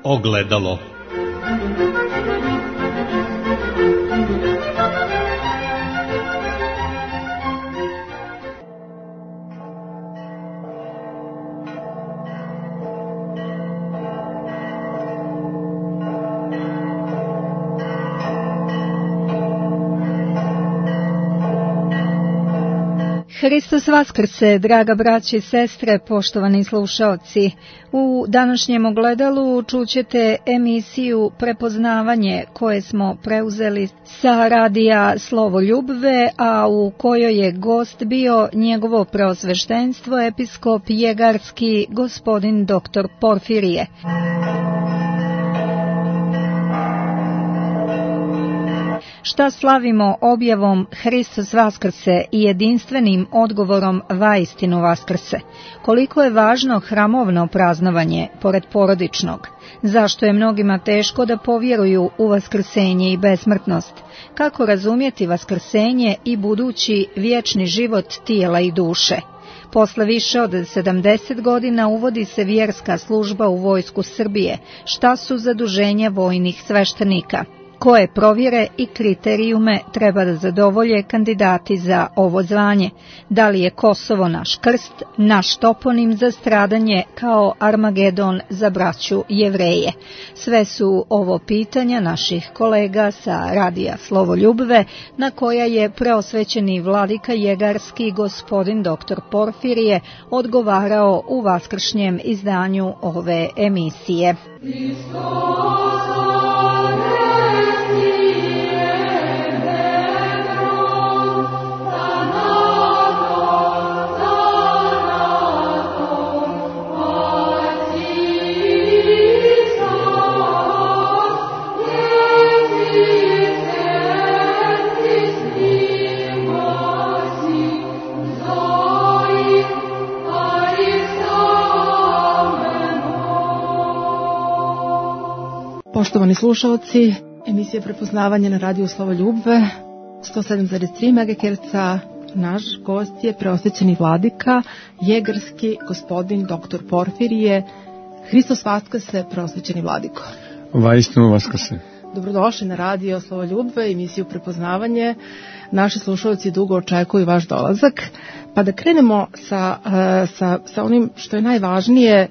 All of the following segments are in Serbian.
Ogledalo. Hristos vaskrse, draga braće i sestre, poštovani slušaoci. U današnjem ogledalu čućete emisiju Prepoznavanje koje smo preuzeli sa radija Slovo Ljubve, a u kojoj je gost bio njegovo preosveštenstvo episkop jegarski gospodin dr. Porfirije. Šta slavimo objavom Hristos vaskrse i jedinstvenim odgovorom vaistinu vaskrse? Koliko je važno hramovno praznovanje pored porodičnog? Zašto je mnogima teško da povjeruju u vaskrsenje i besmrtnost? Kako razumjeti vaskrsenje i budući vječni život tijela i duše? Posle više od 70 godina uvodi se vjerska služba u vojsku Srbije. Šta su zaduženja vojnih sveštenika? Koje provjere i kriterijume treba da zadovolje kandidati za ovo zvanje? Da li je Kosovo naš krst, naš toponim za stradanje kao Armagedon za braću Jevreje? Sve su ovo pitanja naših kolega sa radija Slovo Ljubve, na koja je preosvećeni vladika jegarski gospodin dr. Porfirije odgovarao u vaskršnjem izdanju ove emisije. Poštovani slušalci, emisija Prepoznavanje na radiju Slovo Ljubve, 107,3 MHz, naš gost je preosvećeni vladika, jegarski gospodin dr. Porfirije. Hristos vaskrse, preosvećeni vladiko. Vaistinu vaskrse. Dobrodošli na radio Slovo Ljubve, emisiju Prepoznavanje. Naši slušalci dugo očekuju vaš dolazak. Pa da krenemo sa onim što je najvažnije.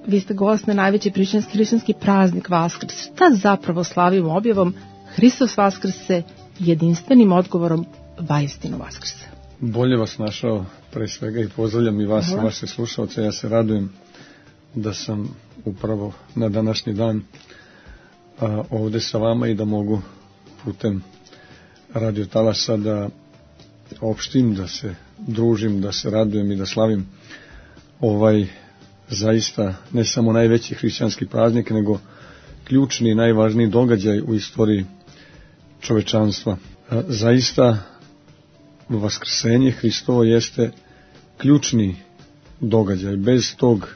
Vi ste gost na najveći hrišćanski praznik Vaskrs. Šta zapravo slavimo objavom Hristos vaskrse, jedinstvenim odgovorom vaistinu vaskrse? Bolje vas našao pre svega i pozdravljam i vas, vaše slušalce. Ja se radujem da sam upravo na današnji dan ovde sa vama i da mogu putem radio talasa da opštim, da se družim, da se radujem i da slavim ovaj zaista ne samo najveći hrišćanski praznik, nego ključni i najvažniji događaj u istoriji čovečanstva. Zaista vaskrsenje Hristovo jeste ključni događaj. Bez tog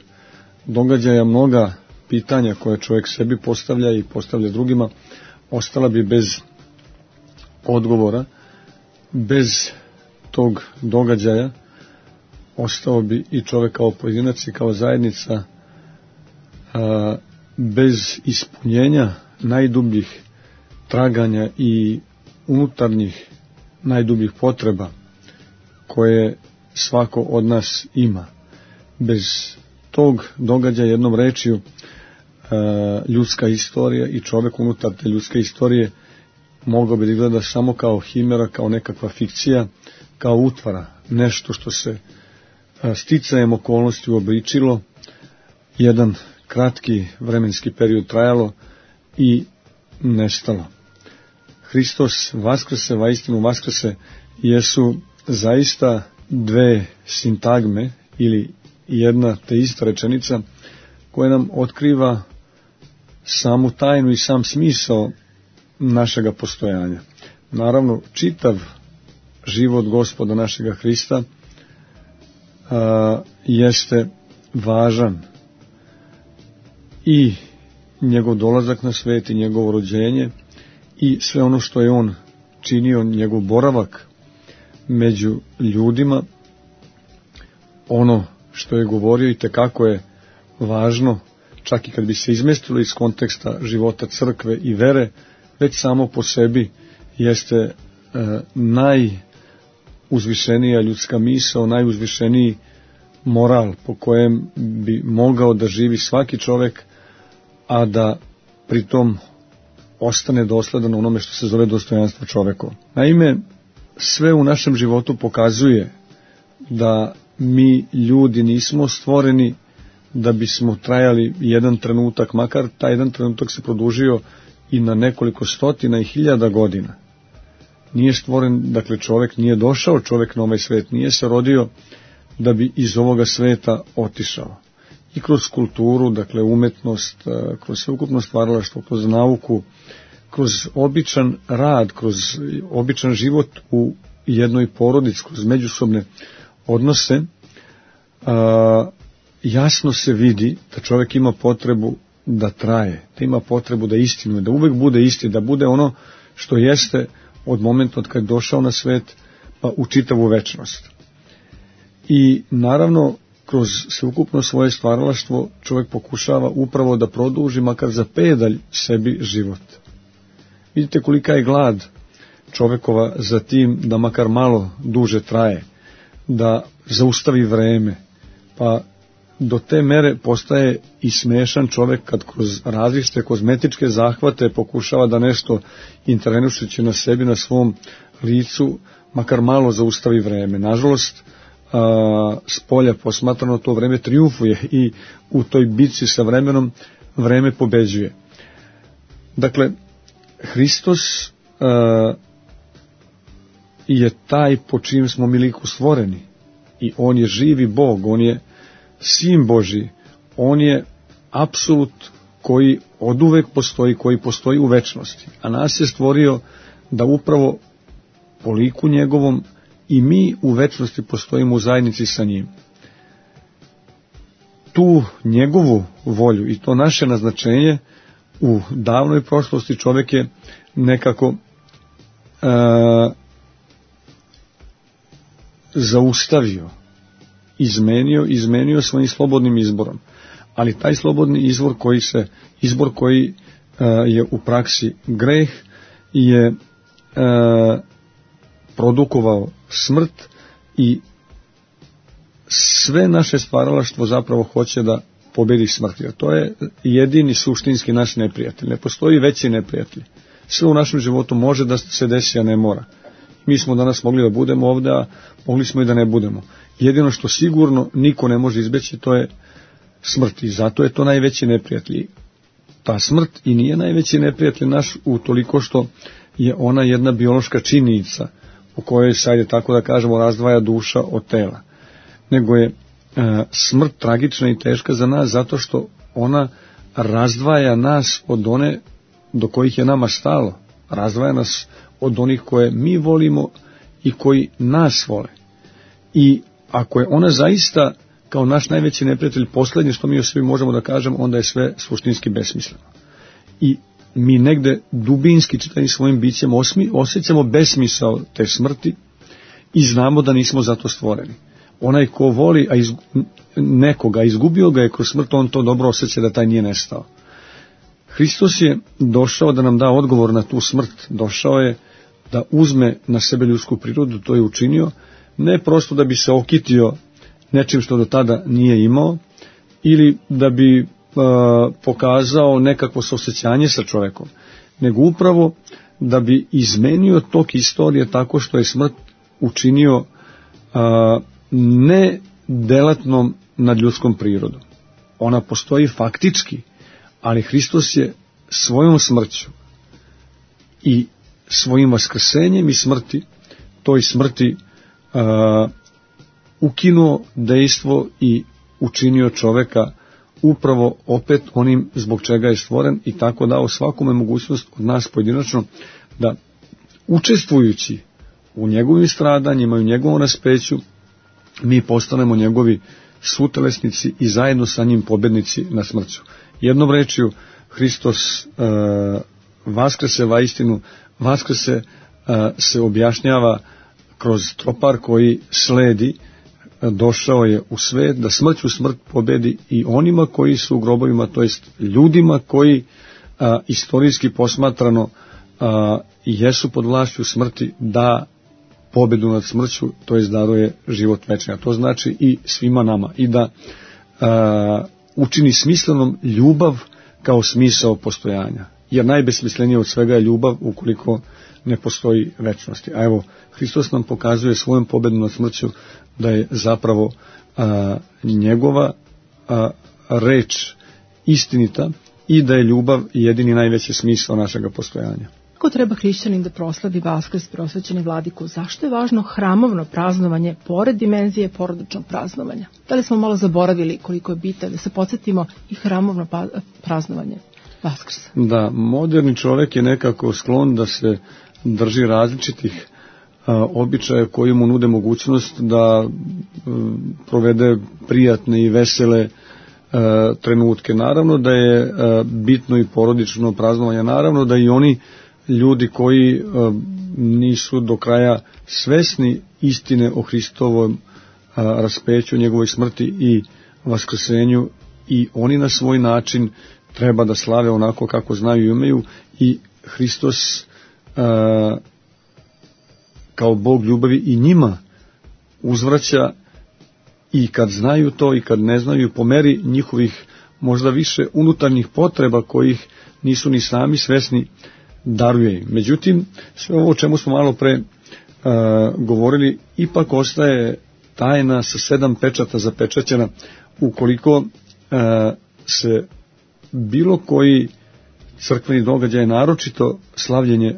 događaja mnoga pitanja koje čovjek sebi postavlja i postavlja drugima ostala bi bez odgovora. Bez tog događaja ostao bi i čovjek kao pojedinac i kao zajednica bez ispunjenja najdubljih traganja i unutarnjih najdubljih potreba koje svako od nas ima. Bez tog događaja, jednom rečju, ljudska istorija i čovjek unutar te ljudske istorije mogao bi da gleda samo kao himera, kao nekakva fikcija, kao utvara, nešto što se sticajem okolnosti uobličilo, jedan kratki vremenski period trajalo i nestalo. Hristos vaskrse, vaistinu vaskrse jesu zaista dve sintagme ili jedna te ista rečenica koja nam otkriva samu tajnu i sam smisao našega postojanja. Naravno, čitav život Gospoda našega Hrista jeste važan i njegov dolazak na svet i njegovo rođenje i sve ono što je on činio, njegov boravak među ljudima, ono što je govorio i tekako je važno čak i kad bi se izmestilo iz konteksta života crkve i vere, već samo po sebi jeste najuzvišenija ljudska misao, najuzvišeniji moral po kojem bi mogao da živi svaki čovek, a da pritom ostane dosledan onome što se zove dostojanstvo čovekovo. Naime, sve u našem životu pokazuje da mi ljudi nismo stvoreni da bismo trajali jedan trenutak, makar taj jedan trenutak se produžio i na nekoliko stotina i hiljada godina. Nije stvoren, dakle čovek nije došao, čovek na ovaj svet nije se rodio da bi iz ovoga sveta otišao. I kroz kulturu, dakle umetnost, kroz sveukupno stvaralaštvo, kroz nauku, kroz običan rad, kroz običan život u jednoj porodici, kroz međusobne odnose, jasno se vidi da čovjek ima potrebu da traje, da ima potrebu da istinuje, da uvek bude isti, da bude ono što jeste od momenta od kad je došao na svet pa u čitavu večnost. I naravno, kroz sveukupno svoje stvaralaštvo čovjek pokušava upravo da produži makar za pedalj sebi život. Vidite kolika je glad čovjekova za tim da makar malo duže traje, da zaustavi vreme, pa do te mere postaje i smešan čovjek kad kroz različite kozmetičke zahvate pokušava da nešto intervenušući na sebi, na svom licu, makar malo zaustavi vreme. Nažalost, s polja posmatrano to vreme trijumfuje i u toj bitci sa vremenom vreme pobeđuje. Dakle, Hristos je taj po čim smo mi liku stvoreni i on je živi Bog, on je Sin Božji, on je apsolut koji oduvek postoji, koji postoji u večnosti, a nas je stvorio da upravo po liku njegovom i mi u večnosti postojimo u zajednici sa njim. Tu njegovu volju i to naše naznačenje u davnoj prošlosti čovjek je nekako zaustavio, izmenio svojim slobodnim izborom. Ali taj slobodni izbor koji je u praksi greh je produkovao smrt i sve naše stvaralaštvo zapravo hoće da pobedi smrt. Jer to je jedini suštinski naš neprijatelj. Ne postoji veći neprijatelj. Sve u našem životu može da se desi, a ne mora. Mi smo danas mogli da budemo ovde, a mogli smo i da ne budemo. Jedino što sigurno niko ne može izbeći, to je smrt. I zato je to najveći neprijatelj. Ta smrt i nije najveći neprijatelj naš utoliko što je ona jedna biološka činjenica u kojoj se, ajde tako da kažemo, razdvaja duša od tela. Nego je smrt tragična i teška za nas zato što ona razdvaja nas od one do kojih je nama stalo. Razdvaja nas od onih koje mi volimo i koji nas vole. I ako je ona zaista kao naš najveći neprijatelj posljednje što mi o sebi možemo da kažemo, onda je sve suštinski besmisleno. I mi negde dubinski čitavim svojim bićem osjećamo besmisao te smrti i znamo da nismo za to stvoreni. Onaj ko voli nekoga, izgubio ga je kroz smrt, on to dobro osjeća da taj nije nestao. Hristos je došao da nam da odgovor na tu smrt, došao je da uzme na sebe ljudsku prirodu, to je učinio, ne prosto da bi se okitio nečim što do tada nije imao, ili da bi pokazao nekakvo saosećanje sa čovekom, nego upravo da bi izmenio tok istorije tako što je smrt učinio ne delatnom nad ljudskom prirodom. Ona postoji faktički, ali Hristos je svojom smrću i svojim vaskrsenjem i smrti, toj smrti ukinuo dejstvo i učinio čoveka upravo opet onim zbog čega je stvoren i tako dao svakome mogućnost od nas pojedinačno da učestvujući u njegovim stradanjima i u njegovom raspeću mi postanemo njegovi sutelesnici i zajedno sa njim pobednici na smrću. Jednom rečju, Hristos vaskrese vaistinu, vaskrese se objašnjava kroz tropar koji sledi došao je u svet da smrću smrt pobedi i onima koji su u grobovima, to jest ljudima koji istorijski posmatrano jesu pod vlašću smrti, da pobedu nad smrću, to jest daruje život večni. A to znači i svima nama. I da učini smislenom ljubav kao smisao postojanja. Jer najbesmislenije od svega je ljubav ukoliko ne postoji večnosti. A evo, Hristos nam pokazuje svojom pobedom nad smrću da je zapravo njegova reč istinita i da je ljubav jedini najveći smisao našega postojanja. Kako treba hrišćanin da proslavi Vaskrs, prosvećeni vladiku? Zašto je važno hramovno praznovanje pored dimenzije porodičnog praznovanja? Da li smo malo zaboravili koliko je bitno da se podsjetimo i hramovno praznovanje Vaskrsa? Da, moderni čovjek je nekako sklon da se drži različitih običaja koji mu nude mogućnost da provede prijatne i vesele trenutke. Naravno da je bitno i porodično praznovanje, naravno da i oni ljudi koji nisu do kraja svesni istine o Hristovom raspeću, njegovoj smrti i vaskrsenju, i oni na svoj način treba da slave onako kako znaju i umeju, i Hristos kao Bog ljubavi i njima uzvraća, i kad znaju to i kad ne znaju, po meri njihovih možda više unutarnjih potreba kojih nisu ni sami svesni, daruje im. Međutim, sve ovo o čemu smo malo pre govorili ipak ostaje tajna sa 7 pečata zapečaćena. Ukoliko se bilo koji crkveni događaj, naročito slavljenje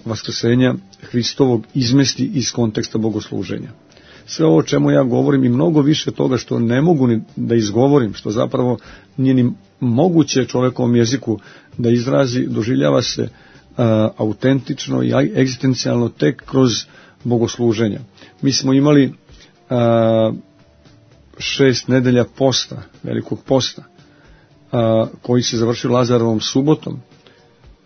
vaskrsenja Hristovog, izmesti iz konteksta bogosluženja. Sve ovo o čemu ja govorim i mnogo više toga što ne mogu ni da izgovorim, što zapravo nije ni moguće čovekovom jeziku da izrazi, doživljava se autentično i egzistencijalno tek kroz bogosluženja. Mi smo imali 6 nedelja posta, velikog posta, koji se završio Lazarovom subotom,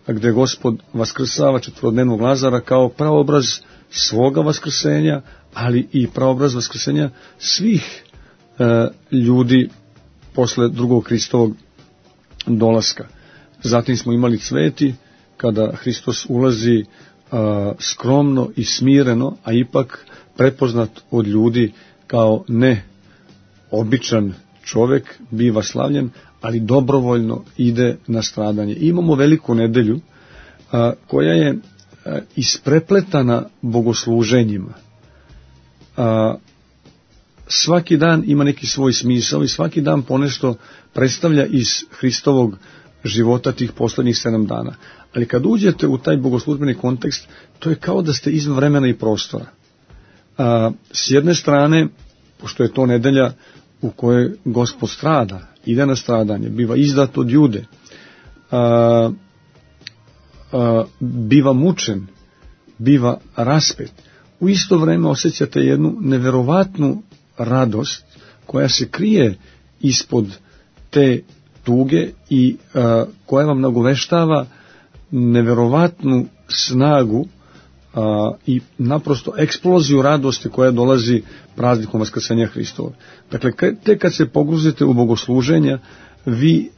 gde Gospod vaskrsava četvorodnevnog Lazara kao praobraz svoga vaskrsenja, ali i praobraz vaskrsenja svih ljudi posle drugog Hristovog dolaska. Zatim smo imali cveti, kada Hristos ulazi skromno i smireno, a ipak prepoznat od ljudi kao ne običan čovek, biva slavljen, ali dobrovoljno ide na stradanje. I imamo veliku nedelju koja je isprepletana bogosluženjima. Svaki dan ima neki svoj smisao i svaki dan ponešto predstavlja iz Hristovog života tih poslednjih 7 dana. Ali kad uđete u taj bogoslužbeni kontekst, to je kao da ste izvan vremena i prostora. S jedne strane, pošto je to nedelja u kojoj Gospod strada, ide na stradanje, biva izdat od Jude, biva mučen, biva raspet, u isto vreme osjećate jednu neverovatnu radost koja se krije ispod te tuge i koja vam nagoveštava neverovatnu snagu i naprosto eksploziju radosti koja dolazi praznikom vaskrsenja Hristova. Dakle, tek kad se pogruzite u bogosluženja, vi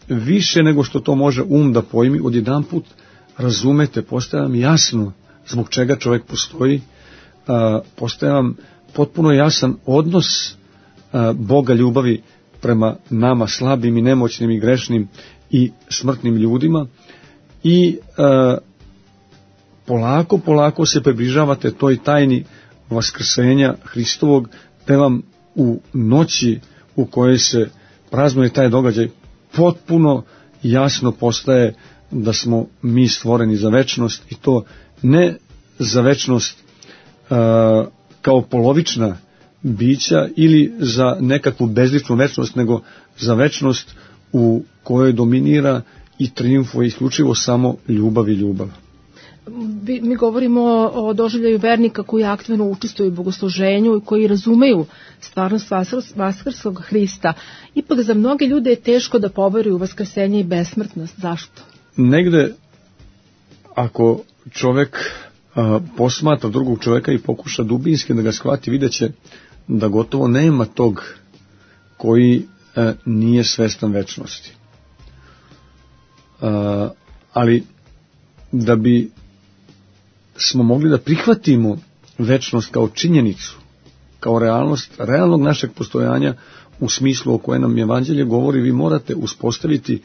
više nego što to može da pojmi, odjedanput razumete, postaje vam jasno zbog čega čovjek postoji, postaje vam potpuno jasan odnos Boga ljubavi prema nama slabim i nemoćnim i grešnim i smrtnim ljudima, i polako se približavate toj tajni vaskrsenja Hristovog, te vam u noći u kojoj se praznuje taj događaj potpuno jasno postaje da smo mi stvoreni za večnost, i to ne za večnost kao polovična bića ili za nekakvu bezličnu večnost, nego za večnost u kojoj dominira i triumfuje isključivo samo ljubav i ljubav. Mi govorimo o doživljaju vernika koji aktivno učestvuju u bogosluženju i koji razumeju stvarnost vaskrskog Hrista. Ipak za mnoge ljude je teško da poveruju u vaskrsenje i besmrtnost. Zašto? Negde, ako čovek posmatra drugog čoveka i pokuša dubinski da ga shvati, vidjet će da gotovo nema tog koji nije svestan večnosti. Ali da bi smo mogli da prihvatimo večnost kao činjenicu, kao realnost, realnog našeg postojanja u smislu o kojem nam evanđelje govori, vi morate uspostaviti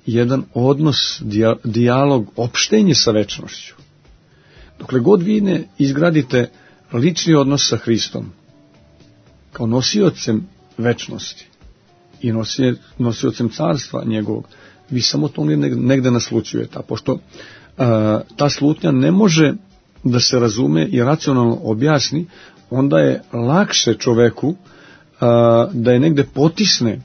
jedan odnos, dijalog, opštenje sa večnošću. Dokle god vi ne izgradite lični odnos sa Hristom, kao nosiocem večnosti i nosiocem carstva njegovog, vi samo to negde naslućujete. A pošto ta slutnja ne može da se razume i racionalno objasni, onda je lakše čoveku da je negde potisne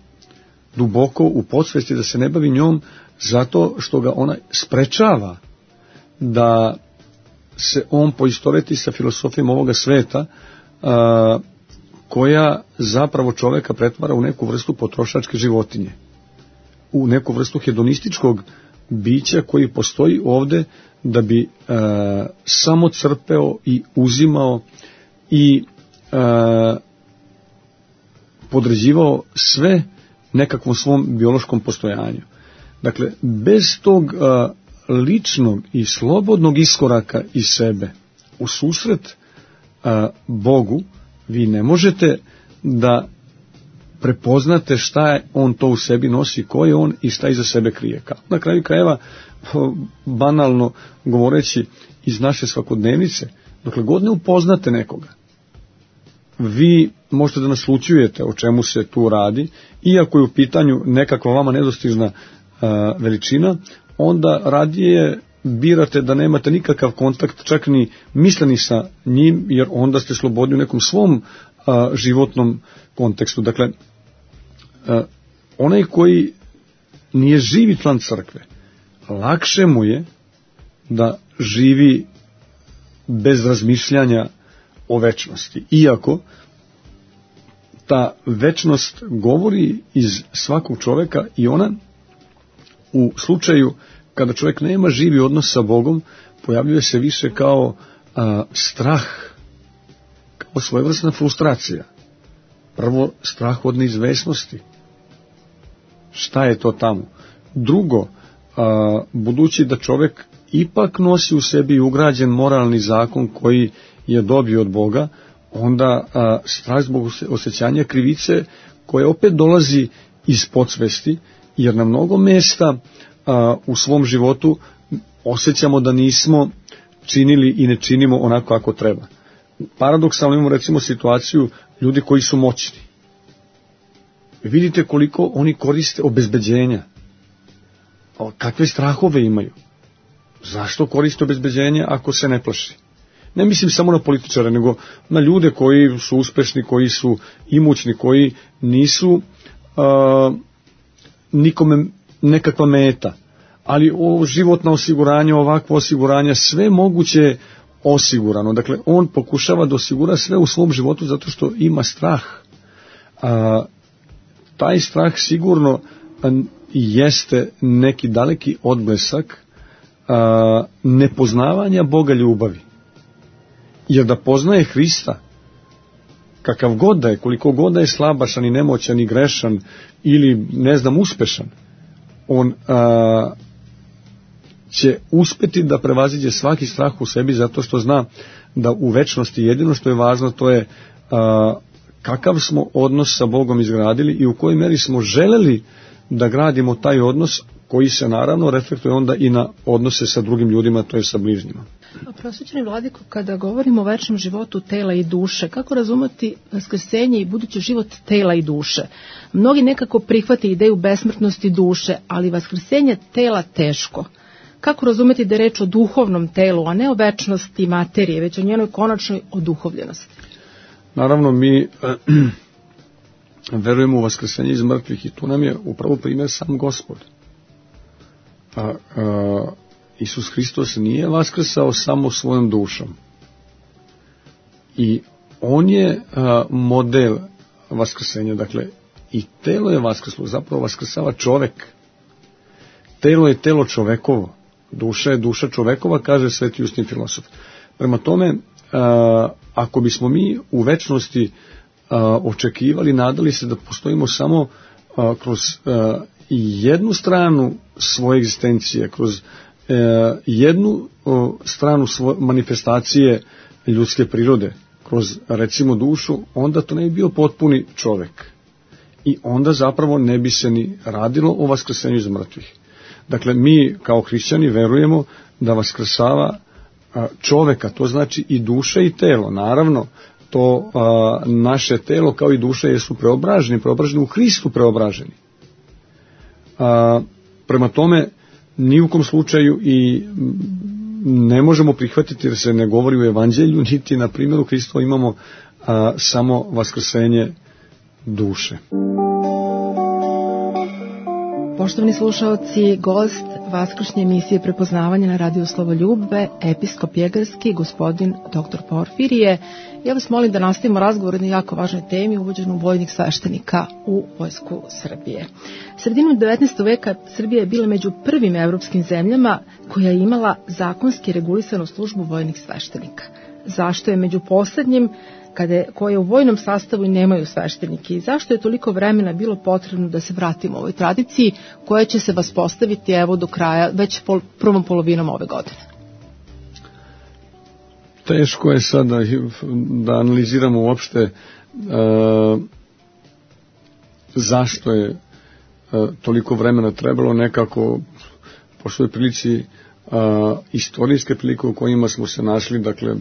duboko u podsvesti, da se ne bavi njom, zato što ga ona sprečava da se on poistoveti sa filosofijom ovoga sveta, koja zapravo čoveka pretvara u neku vrstu potrošačke životinje, u neku vrstu hedonističkog bića koji postoji ovde da bi samo crpeo i uzimao i podređivao sve nekakvom svom biološkom postojanju. Dakle, bez tog ličnog i slobodnog iskoraka iz sebe u susret Bogu, vi ne možete da prepoznate šta je on to u sebi nosi, ko je on i šta iza sebe krije. Na kraju krajeva, banalno govoreći iz naše svakodnevnice, dokle god ne upoznate nekoga, vi možete da naslućujete o čemu se tu radi, iako je u pitanju nekakva vama nedostižna veličina, onda radije birate da nemate nikakav kontakt, čak ni misleni sa njim, jer onda ste slobodni u nekom svom životnom kontekstu. Dakle, onaj koji nije živi član crkve, lakše mu je da živi bez razmišljanja o večnosti. Iako ta večnost govori iz svakog čoveka i ona u slučaju kada čovjek nema živi odnos sa Bogom, pojavljuje se više kao strah, kao svojevrsna frustracija. Prvo, strah od neizvesnosti. Šta je to tamo? Drugo, budući da čovjek ipak nosi u sebi ugrađen moralni zakon koji je dobio od Boga, onda strah zbog osjećanja krivice koje opet dolazi iz podsvesti, jer na mnogo mesta u svom životu osjećamo da nismo činili i ne činimo onako kako treba. Paradoksalno imamo recimo situaciju ljudi koji su moćni. Vidite koliko oni koriste obezbeđenja. Kakve strahove imaju. Zašto koriste obezbeđenje ako se ne plaši? Ne mislim samo na političare, nego na ljude koji su uspešni, koji su imućni, koji nisu nikome nekakva meta. Ali životno osiguranje, ovakvo osiguranje, sve moguće osigurano. Dakle, on pokušava da osigura sve u svom životu zato što ima strah. Taj strah sigurno jeste neki daleki odblesak nepoznavanja Boga ljubavi. Jer da poznaje Hrista, kakav god da je, koliko god da je slabašan i nemoćan i grešan ili, ne znam, uspešan, on će uspeti da prevaziđe svaki strah u sebi zato što zna da u večnosti jedino što je važno to je kakav smo odnos sa Bogom izgradili i u kojoj meri smo želeli da gradimo taj odnos koji se naravno reflektuje onda i na odnose sa drugim ljudima, to je sa bližnjima. Prosvećeni vladiko, kada govorimo o večnom životu tela i duše, kako razumeti vaskrsenje i budući život tela i duše? Mnogi nekako prihvate ideju besmrtnosti duše, ali vaskrsenje tela teško. Kako razumeti da je reč o duhovnom telu, a ne o večnosti materije, već o njenoj konačnoj oduhovljenosti? Naravno, mi verujemo u vaskrsenje iz mrtvih i tu nam je upravo primjer sam Gospod. Isus Hristos nije vaskrsao samo svojom dušom. I on je model vaskrsenja, dakle i telo je vaskrslo, zapravo vaskrsava čovek. Telo je telo čovekovo, duša je duša čovekova, kaže Sveti Justin filosof. Prema tome, ako bismo mi u večnosti očekivali, nadali se da postojimo samo kroz jednu stranu svoje egzistencije, kroz jednu stranu manifestacije ljudske prirode, kroz recimo dušu, onda to ne bi bio potpuni čovek. I onda zapravo ne bi se ni radilo o vaskrsenju iz mrtvih. Dakle, mi kao hrišćani verujemo da vaskrsava čoveka, to znači i duša i telo. Naravno, to naše telo kao i duša jesu preobraženi u Hristu preobraženi. Prema tome, ni u kom slučaju i ne možemo prihvatiti jer se ne govori u evanđelju, niti na primjeru Hristova imamo samo vaskrsenje duše. Poštovani slušaoci, gost vaskršnje emisije Prepoznavanje na radiju Slovoljubve, episkop jegarski, gospodin dr. Porfirije. Ja vas molim da nastavimo razgovor na jako važnoj temi, uvođenju vojnih sveštenika u Vojsku Srbije. Sredinom 19. veka Srbija je bila među prvim evropskim zemljama koja je imala zakonski regulisanu službu vojnih sveštenika. Zašto je među poslednjim koje u vojnom sastavu i nemaju sveštenike i zašto je toliko vremena bilo potrebno da se vratimo ovoj tradiciji koja će se vaspostaviti evo do kraja, već prvom polovinom ove godine? Teško je sad da analiziramo uopšte zašto je toliko vremena trebalo, nekako pošto je prilici istorijske prilike u kojima smo se našli, dakle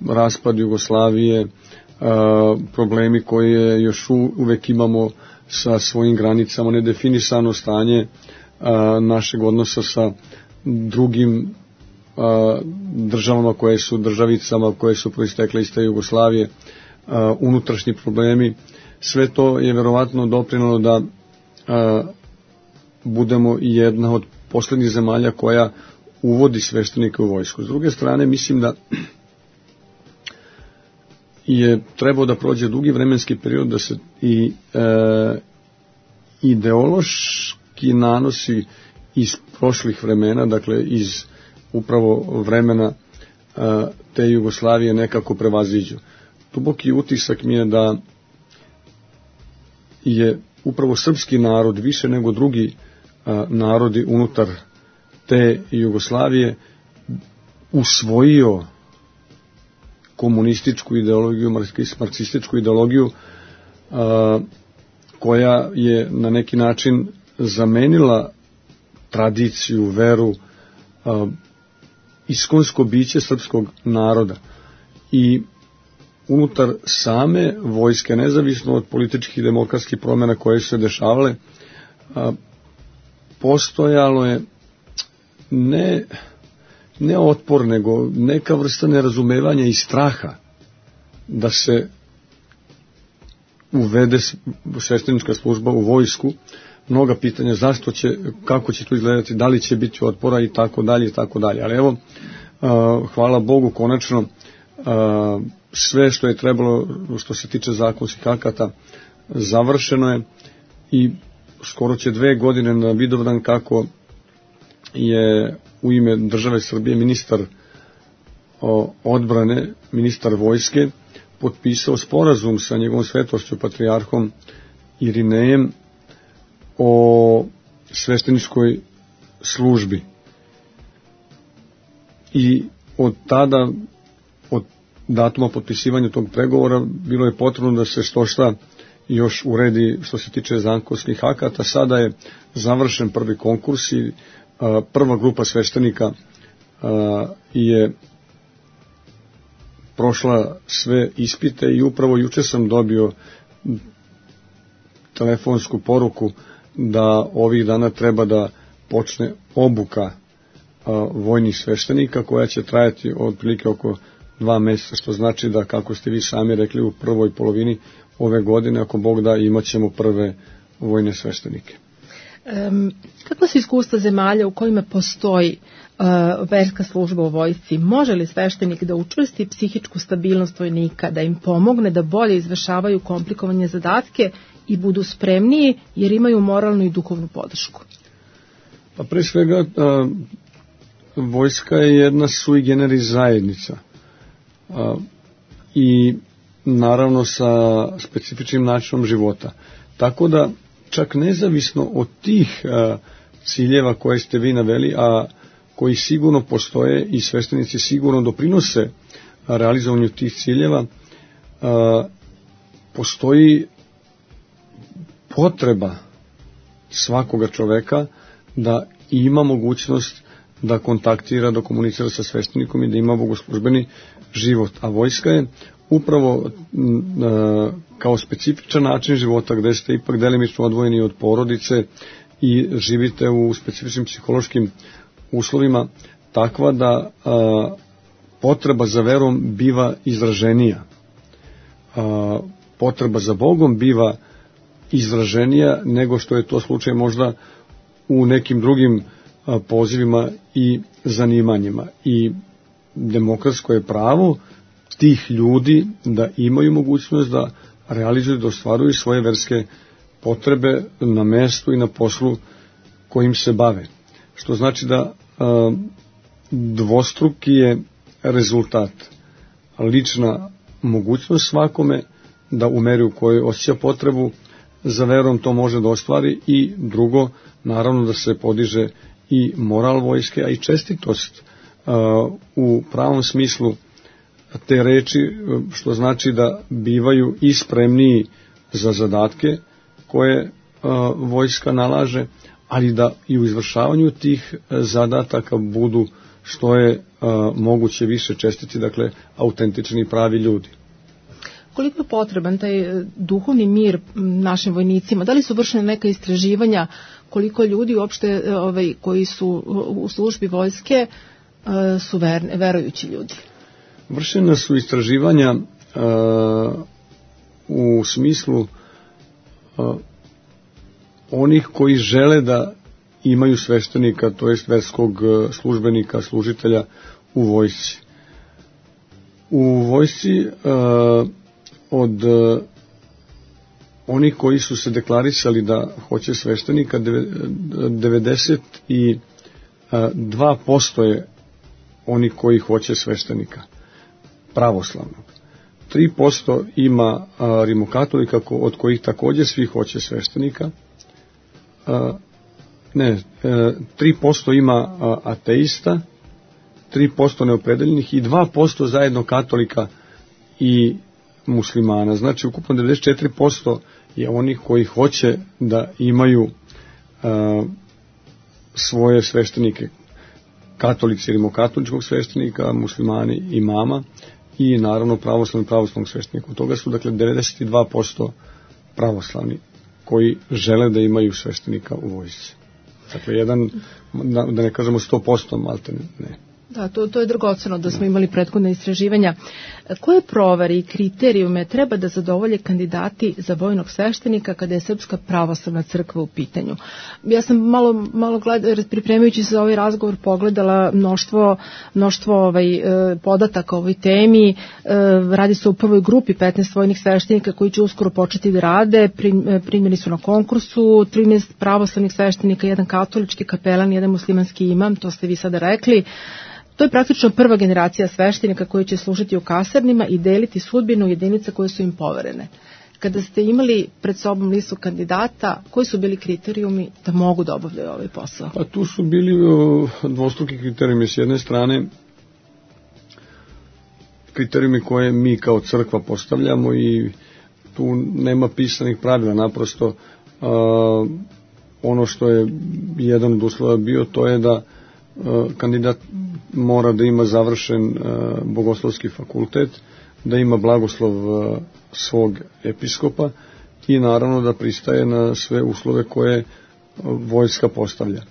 raspad Jugoslavije, problemi koje još uvek imamo sa svojim granicama, nedefinisano stanje našeg odnosa sa drugim državama koje su državicama, koje su proistekle iz te Jugoslavije, unutrašnji problemi, sve to je verovatno doprinelo da budemo i jedna od poslednjih zemalja koja uvodi sveštenike u vojsku. S druge strane, mislim da je trebao da prođe dugi vremenski period da se i ideološki nanosi iz prošlih vremena, dakle iz upravo vremena te Jugoslavije nekako prevaziđu. Duboki utisak mi je da je upravo srpski narod više nego drugi narodi unutar te Jugoslavije usvojio komunističku ideologiju, marksističku ideologiju koja je na neki način zamenila tradiciju, veru, iskonsko biće srpskog naroda. I unutar same vojske, nezavisno od političkih i demokratskih promjena koje su se dešavale, postojalo je ne otpor, nego neka vrsta nerazumevanja i straha da se uvede sveštenička služba u vojsku. Mnoga pitanja zašto će, kako će to izgledati, da li će biti otpora i tako dalje i tako dalje. Ali evo, hvala Bogu, konačno sve što je trebalo što se tiče zakonskih akata završeno je i skoro će 2 godine na Vidovdan kako je u ime države Srbije ministar odbrane, ministar vojske potpisao sporazum sa njegovom svetošću patrijarhom Irinejem o svešteničkoj službi. I od tada, od datuma potpisivanja tog pregovora, bilo je potrebno da se što šta još uredi što se tiče zakonskih akata. Sada je završen prvi konkurs i prva grupa sveštenika je prošla sve ispite i upravo juče sam dobio telefonsku poruku da ovih dana treba da počne obuka vojnih sveštenika koja će trajati otprilike oko 2 mjeseca, što znači da, kako ste vi sami rekli, u prvoj polovini ove godine, ako Bog da, imat ćemo prve vojne sveštenike. Kako su iskustva zemalja u kojima postoji verska služba u vojsci? Može li sveštenik da učvrsti psihičku stabilnost vojnika, da im pomogne da bolje izvršavaju komplikovane zadatke i budu spremniji jer imaju moralnu i duhovnu podršku? Pa pre svega vojska je jedna sui generis zajednica i naravno sa specifičnim načinom života. Tako da čak nezavisno od tih ciljeva koje ste vi naveli, a koji sigurno postoje i sveštenici sigurno doprinose realizovanju tih ciljeva, postoji potreba svakoga čoveka da ima mogućnost da kontaktira, da komunicira sa sveštenikom i da ima bogoslužbeni život. A vojska je upravo kao specifičan način života, gde ste ipak delimično odvojeni od porodice i živite u specifičnim psihološkim uslovima, takva da potreba za verom biva izraženija. Potreba za Bogom biva izraženija nego što je to slučaj možda u nekim drugim pozivima i zanimanjima. I demokratsko je pravo tih ljudi da imaju mogućnost da realizuju, da ostvaruju svoje verske potrebe na mestu i na poslu kojim se bave. Što znači da dvostruki je rezultat. Lična mogućnost svakome da u meri u kojoj osjeća potrebu za verom to može da ostvari, i drugo, naravno da se podiže i moral vojske, a i čestitost u pravom smislu te reči, što znači da bivaju i spremniji za zadatke koje vojska nalaže, ali da i u izvršavanju tih zadataka budu što je moguće više čestiti, dakle autentični i pravi ljudi. Koliko je potreban taj duhovni mir našim vojnicima? Da li su vršene neka istraživanja koliko ljudi uopšte koji su u službi vojske su verujući ljudi? Vršena su istraživanja u smislu onih koji žele da imaju sveštenika, to jest verskog službenika, služitelja u vojsci. U vojsci od onih koji su se deklarisali da hoće sveštenika, 92% je oni koji hoće sveštenika pravoslavnog. 3% ima rimokatolika, od kojih također svi hoće sveštenika. 3% ima ateista, 3% neopredeljenih i 2% zajedno katolika i muslimana. Znači, ukupno 94% je onih koji hoće da imaju svoje sveštenike. Katolici rimokatoličkog sveštenika, muslimani imama i naravno pravoslavnog sveštenika. Od toga su, dakle, 92% pravoslavni koji žele da imaju sveštenika u vojsci. Dakle, da ne kažemo 100%, malte ne. Da, to je dragoceno da smo imali prethodne istraživanja. Koje provere i kriterijume treba da zadovolje kandidati za vojnog sveštenika kada je Srpska pravoslavna crkva u pitanju? Ja sam malo pripremajući se za ovaj razgovor pogledala mnoštvo podataka o ovoj temi. Radi se o prvoj grupi 15 vojnih sveštenika koji će uskoro početi da rade. Primljeni su na konkursu 13 pravoslavnih sveštenika, jedan katolički kapelan, jedan muslimanski imam, to ste vi sada rekli. To je praktično prva generacija sveštenika koji će služiti u kasarnima i deliti sudbinu jedinica koje su im poverene. Kada ste imali pred sobom listu kandidata, koji su bili kriterijumi da mogu da obavljaju ovaj posao? Pa tu su bili dvostruki kriterijumi. S jedne strane, kriterijumi koje mi kao crkva postavljamo i tu nema pisanih pravila, naprosto ono što je jedan od uslova bio, to je da kandidat mora da ima završen bogoslovski fakultet, da ima blagoslov svog episkopa i naravno da pristaje na sve uslove koje vojska postavlja.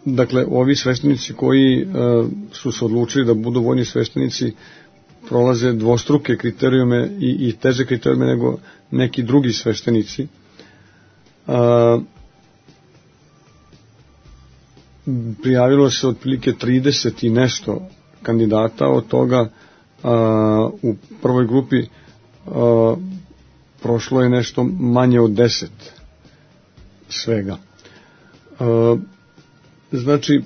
Dakle, ovi sveštenici koji su se odlučili da budu vojni sveštenici prolaze dvostruke kriterijume i teže kriterijume nego neki drugi sveštenici. Prijavilo se otprilike 30 i nešto kandidata, od toga u prvoj grupi prošlo je nešto manje od 10 svega. Znači,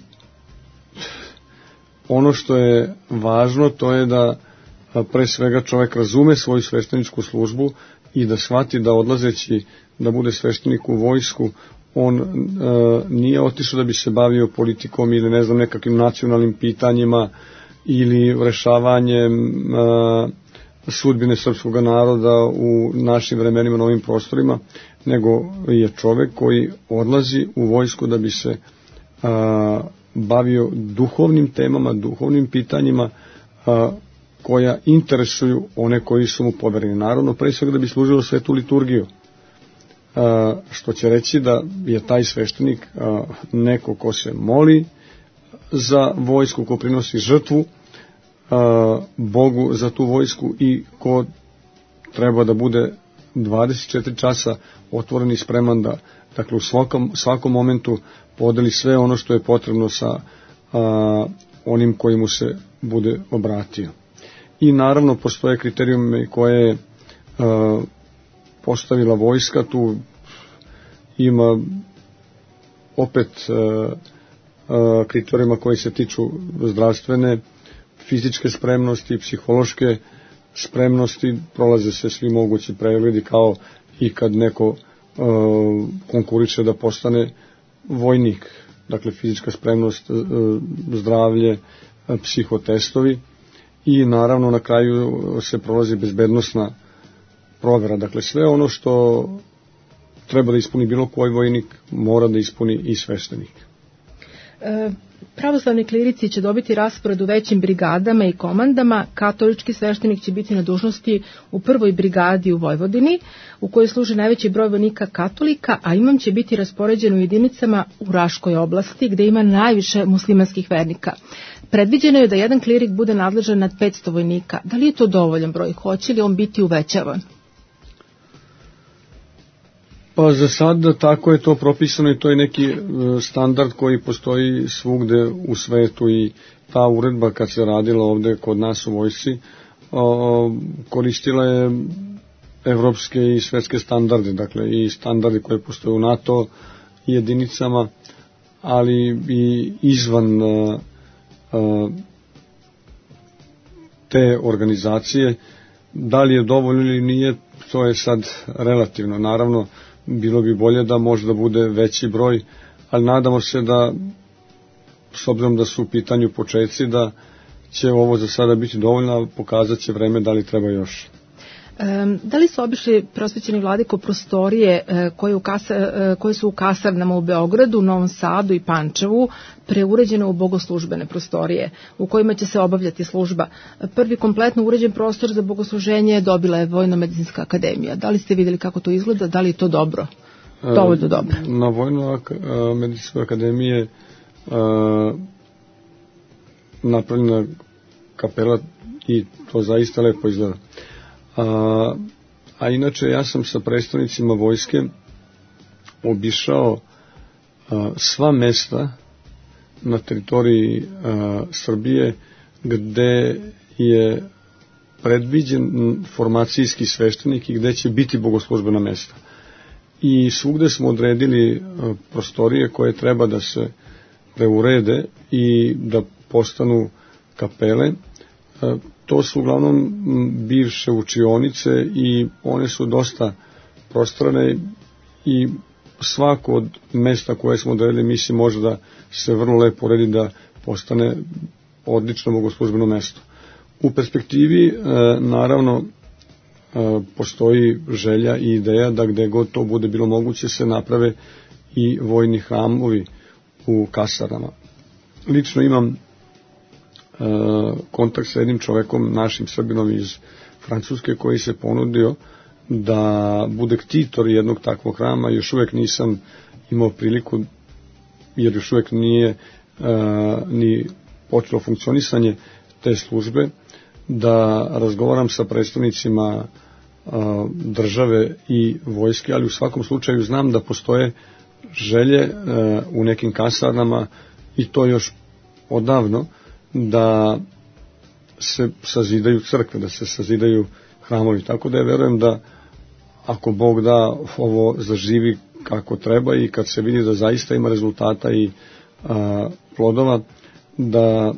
ono što je važno, to je da pre svega čovjek razume svoju svešteničku službu i da shvati da odlazeći da bude sveštenik u vojsku, on nije otišao da bi se bavio politikom ili ne znam nekakvim nacionalnim pitanjima ili rešavanjem sudbine srpskog naroda u našim vremenima na ovim prostorima, nego je čovjek koji odlazi u vojsku da bi se bavio duhovnim temama, duhovnim pitanjima koja interesuju one koji su mu povereni. Naravno, pre svega da bi služilo svetu liturgiju, što će reći da je taj sveštenik neko ko se moli za vojsku, ko prinosi žrtvu Bogu za tu vojsku i ko treba da bude 24 časa otvoren i spreman da, dakle, u svakom momentu podeli sve ono što je potrebno sa onim koji mu se bude obratio. I naravno postoje kriterijume koje je postavila vojska, tu ima opet kriterijuma koji se tiču zdravstvene, fizičke spremnosti, psihološke spremnosti, prolaze se svi mogući pregledi kao i kad neko konkuriše da postane vojnik, dakle fizička spremnost, zdravlje, psihotestovi i naravno na kraju se prolazi bezbednosna provera, dakle sve ono što treba da ispuni bilo koji vojnik mora da ispuni i sveštenik. Pravoslavni klirici će dobiti raspored u većim brigadama i komandama, katolički sveštenik će biti na dužnosti u prvoj brigadi u Vojvodini, u kojoj služi najveći broj vojnika katolika, a imam će biti raspoređen u jedinicama u Raškoj oblasti, gde ima najviše muslimanskih vernika. Predviđeno je da jedan klirik bude nadležan nad 500 vojnika. Da li je to dovoljan broj? Hoće li on biti uvećavan? Pa za sad tako je to propisano i to je neki standard koji postoji svugde u svetu i ta uredba kad se radila ovde kod nas u vojsci koristila je evropske i svetske standarde, dakle i standarde koje postoje u NATO jedinicama, ali i izvan te organizacije. Da li je dovoljno ili nije, to je sad relativno. Naravno, bilo bi bolje da možda bude veći broj, ali nadamo se da, s obzirom da su u pitanju početci, da će ovo za sada biti dovoljno, ali pokazat će vreme da li treba još. Da li su obišli prosvećeni vladiko prostorije koje su u kasarnama u Beogradu, Novom Sadu i Pančevu preuređene u bogoslužbene prostorije u kojima će se obavljati služba? Prvi kompletno uređen prostor za bogosluženje dobila je Vojno-medicinska akademija. Da li ste vidjeli kako to izgleda? Da li je to dobro? Dovoljno dobro. Na Vojno-medicinskoj akademiji je napravljena kapela i to zaista lepo izgleda. A inače ja sam sa predstavnicima vojske obišao sva mesta na teritoriji Srbije gde je predviđen formacijski sveštenik i gde će biti bogoslužbena mesta. I svugde smo odredili prostorije koje treba da se preurede i da postanu kapele. To su uglavnom bivše učionice i one su dosta prostrane i svako od mesta koje smo odredili mislim može da se vrlo lepo uredi da postane odlično bogoslužbeno mesto. U perspektivi naravno postoji želja i ideja da gde god to bude bilo moguće se naprave i vojni hramovi u kasarnama. Lično imam kontakt sa jednim čovekom, našim Srbinom iz Francuske, koji se ponudio da bude ktitor jednog takvog hrama. Još uvek nisam imao priliku, jer još uvek nije ni počelo funkcionisanje te službe, da razgovaram sa predstavnicima države i vojske, ali u svakom slučaju znam da postoje želje u nekim kasarnama i to još odavno, da se sazidaju crkve, da se sazidaju hramovi. Tako da ja verujem da ako Bog da ovo zaživi kako treba i kad se vidi da zaista ima rezultata i plodova, da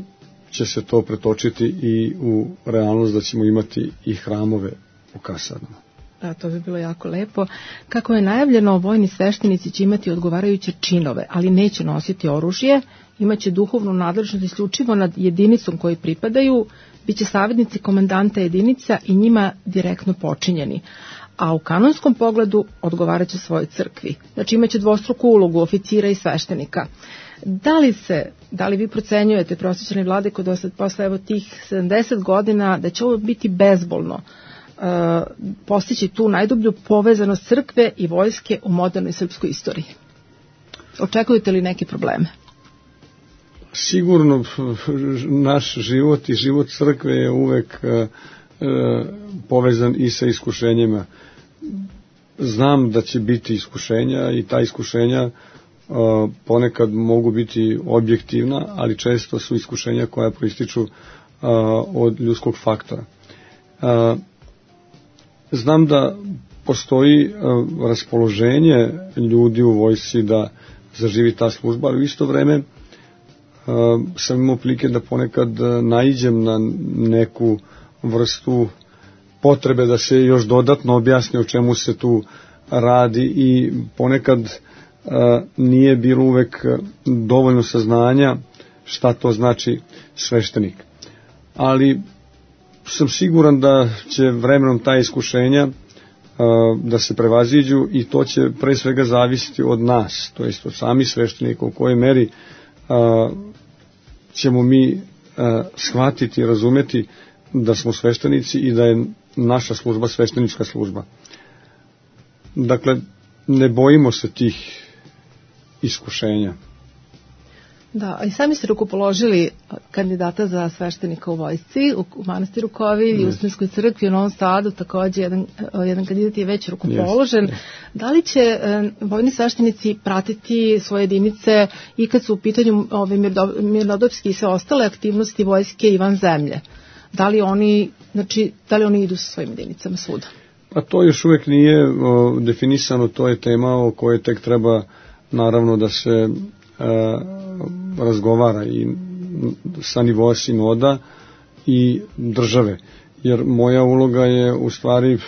će se to pretočiti i u realnost da ćemo imati i hramove u kasarnama. Da, to bi bilo jako lepo. Kako je najavljeno, vojni sveštenici će imati odgovarajuće činove, ali neće nositi oružje, imaće duhovnu nadležnost isključivo nad jedinicom koji pripadaju, biće savjetnici komandanta jedinica i njima direktno počinjeni. A u kanonskom pogledu odgovaraće svojoj crkvi. Znači imaće dvostruku ulogu oficira i sveštenika. Da li vi procenjujete, prosvećeni vladiko, posle evo tih 70 godina, da će ovo biti bezbolno postići tu najdublju povezanost crkve i vojske u modernoj srpskoj istoriji? Očekujete li neke probleme? Sigurno naš život i život crkve je uvek povezan i sa iskušenjima. Znam da će biti iskušenja i ta iskušenja ponekad mogu biti objektivna, ali često su iskušenja koja proističu od ljudskog faktora. Znam da postoji raspoloženje ljudi u vojsci da zaživi ta služba, ali u isto vreme sam imao prilike da ponekad naiđem na neku vrstu potrebe da se još dodatno objasni o čemu se tu radi i ponekad nije bilo uvek dovoljno saznanja šta to znači sveštenik. Ali sam siguran da će vremenom ta iskušenja da se prevaziđu i to će pre svega zavisiti od nas, to jest od samih sveštenika, u kojoj meri ćemo mi shvatiti i razumeti da smo sveštenici i da je naša služba sveštenička služba. Dakle, ne bojimo se tih iskušenja. Da, i sami ste rukopoložili kandidata za sveštenika u vojsci, u manastiru Kovilj, u Srpskoj crkvi, u Novom Sadu, takođe jedan kandidat je već rukopoložen. Da li će vojni sveštenici pratiti svoje jedinice i kad su u pitanju mirnodopske i sve ostale aktivnosti vojske i van zemlje? Da li oni idu sa svojim jedinicama svuda? A to još uvek nije definisano, to je tema o kojoj tek treba naravno da se razgovara i sa nivoa sinoda i države. Jer moja uloga je u stvari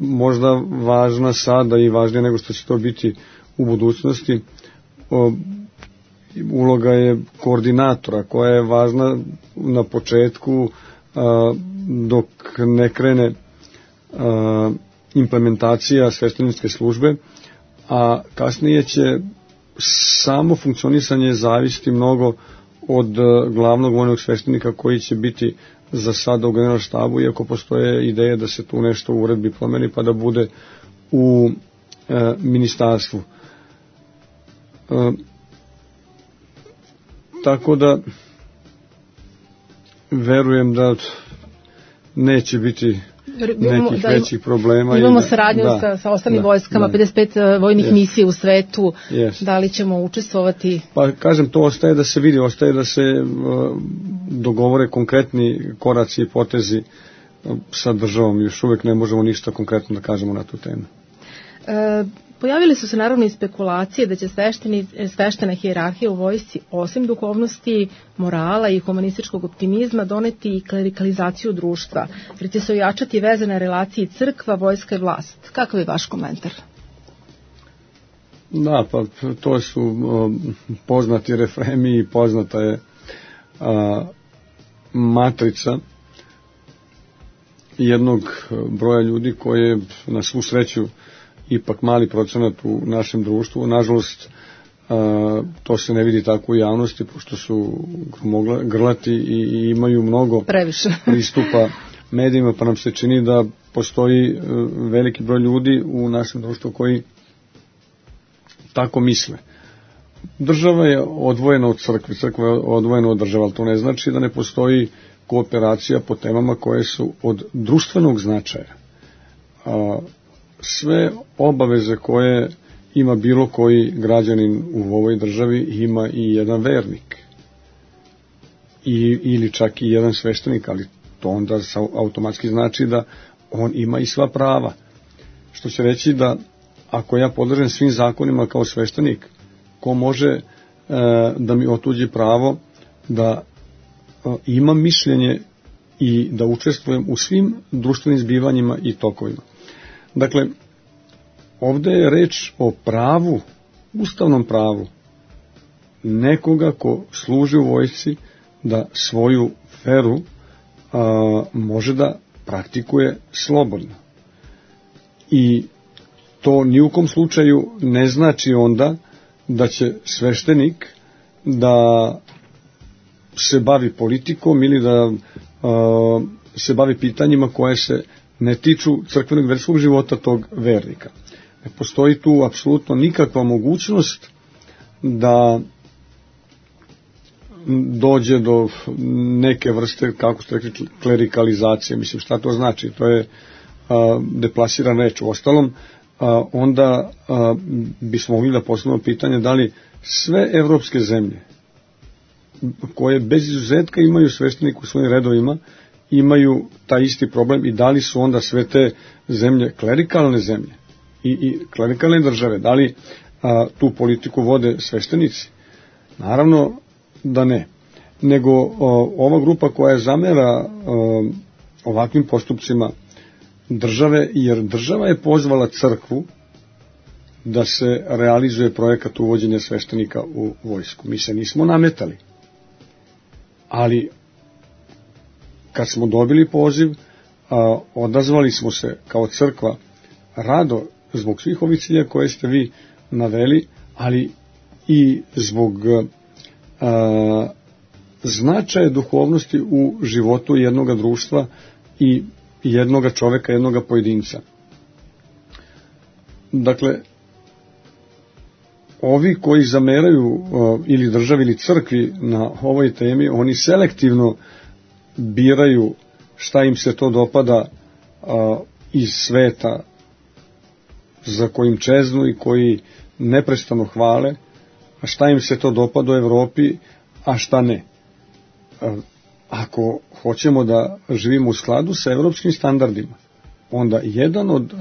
možda važna sada i važnija nego što će to biti u budućnosti. Uloga je koordinatora koja je važna na početku dok ne krene implementacija svešteničke službe, a kasnije će samo funkcionisanje zavisiti mnogo od glavnog vojnog sveštenika koji će biti za sada u generalnom štabu, iako postoje ideje da se tu nešto u uredbi promeni pa da bude u ministarstvu. Tako da verujem da neće biti nekih većih problema. Imamo saradnju sa ostalim vojskama, 55 vojnih misija u svetu. Da li ćemo učestvovati? Pa kažem, to ostaje da se vidi, ostaje da se dogovore konkretni koraci i potezi sa državom. Još uvek ne možemo ništa konkretno da kažemo na tu temu. Pojavili su se naravno i spekulacije da će sveštena hijerarhija u vojsci osim duhovnosti, morala i humanističkog optimizma doneti i klerikalizaciju društva, jer će se ojačati veze na relaciji crkva, vojska i vlast. Kakav je vaš komentar? Da, pa to su poznati refremi i poznata je matrica jednog broja ljudi koje na svu sreću ipak mali procenat u našem društvu. Nažalost, to se ne vidi tako u javnosti, pošto su grlati i imaju mnogo pristupa medijima, pa nam se čini da postoji veliki broj ljudi u našem društvu koji tako misle. Država je odvojena od crkve, crkva je odvojena od države, ali to ne znači da ne postoji kooperacija po temama koje su od društvenog značaja. Sve obaveze koje ima bilo koji građanin u ovoj državi ima i jedan vernik ili čak i jedan sveštenik, ali to onda automatski znači da on ima i sva prava. Što će reći da ako ja podležem svim zakonima kao sveštenik, ko može da mi otuđi pravo da imam mišljenje i da učestvujem u svim društvenim zbivanjima i tokovima. Dakle, ovdje je reč o pravu, ustavnom pravu nekoga ko služi u vojsci da svoju veru može da praktikuje slobodno. I to ni u kom slučaju ne znači onda da će sveštenik da se bavi politikom ili da se bavi pitanjima koje se ne tiču crkvenog verskog života tog vernika. Ne postoji tu apsolutno nikakva mogućnost da dođe do neke vrste, kako ste rekli, klerikalizacije. Mislim, šta to znači? To je deplasirana reč. U ostalom, onda bismo mogli da postavimo pitanje da li sve evropske zemlje koje bez izuzetka imaju sveštenika u svojim redovima imaju taj isti problem i da li su onda sve te zemlje klerikalne zemlje i klerikalne države, da li tu politiku vode sveštenici? Naravno da ne. Nego ova grupa koja zamera ovakvim postupcima države, jer država je pozvala crkvu da se realizuje projekat uvođenja sveštenika u vojsku. Mi se nismo nametali. Ali kad smo dobili poziv, odazvali smo se kao crkva rado zbog svih ovih cilja koje ste vi naveli, ali i zbog značaja duhovnosti u životu jednoga društva i jednoga čoveka, jednoga pojedinca. Dakle, ovi koji zameraju ili državi ili crkvi na ovoj temi, oni selektivno biraju šta im se to dopada iz sveta za kojim čeznu i koji neprestano hvale, a šta im se to dopada u Evropi, a šta ne. Ako hoćemo da živimo u skladu sa evropskim standardima, onda jedan od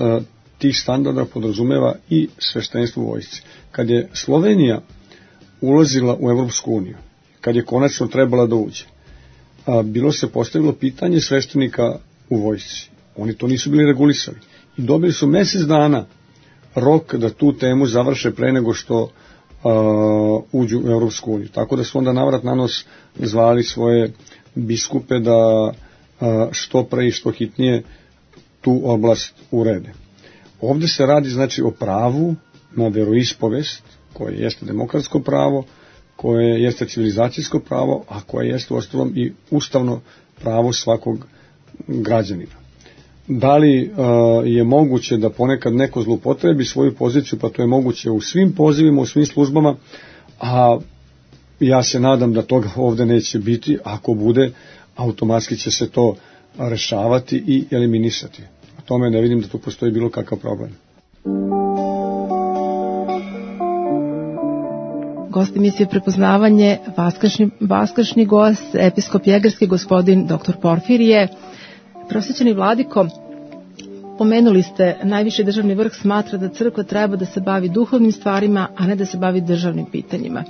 tih standarda podrazumeva i sveštenstvo u vojsci. Kad je Slovenija ulazila u Evropsku uniju, kad je konačno trebala da uđe, bilo se postavilo pitanje sveštenika u vojsci. Oni to nisu bili regulisali. I dobili su mesec dana rok da tu temu završe pre nego što uđu u Evropsku uniju. Tako da su onda navrat na nos zvali svoje biskupe da što pre i što hitnije tu oblast urede. Ovdje se radi znači o pravu na veroispovest, koje jeste demokratsko pravo, koje jeste civilizacijsko pravo, a koje jeste uostalom i ustavno pravo svakog građanina. Da li je moguće da ponekad neko zloupotrebi svoju poziciju, pa to je moguće u svim pozivima, u svim službama, a ja se nadam da toga ovdje neće biti. Ako bude, automatski će se to rešavati i eliminisati. O tome ne vidim da tu postoji bilo kakav problem. Gost emisije Prepoznavanje, vaskršnji gost, episkop Jegerski, gospodin dr. Porfirije. Prosvećeni vladiko, pomenuli ste, najviši državni vrh smatra da crkva treba da se bavi duhovnim stvarima, a ne da se bavi državnim pitanjima.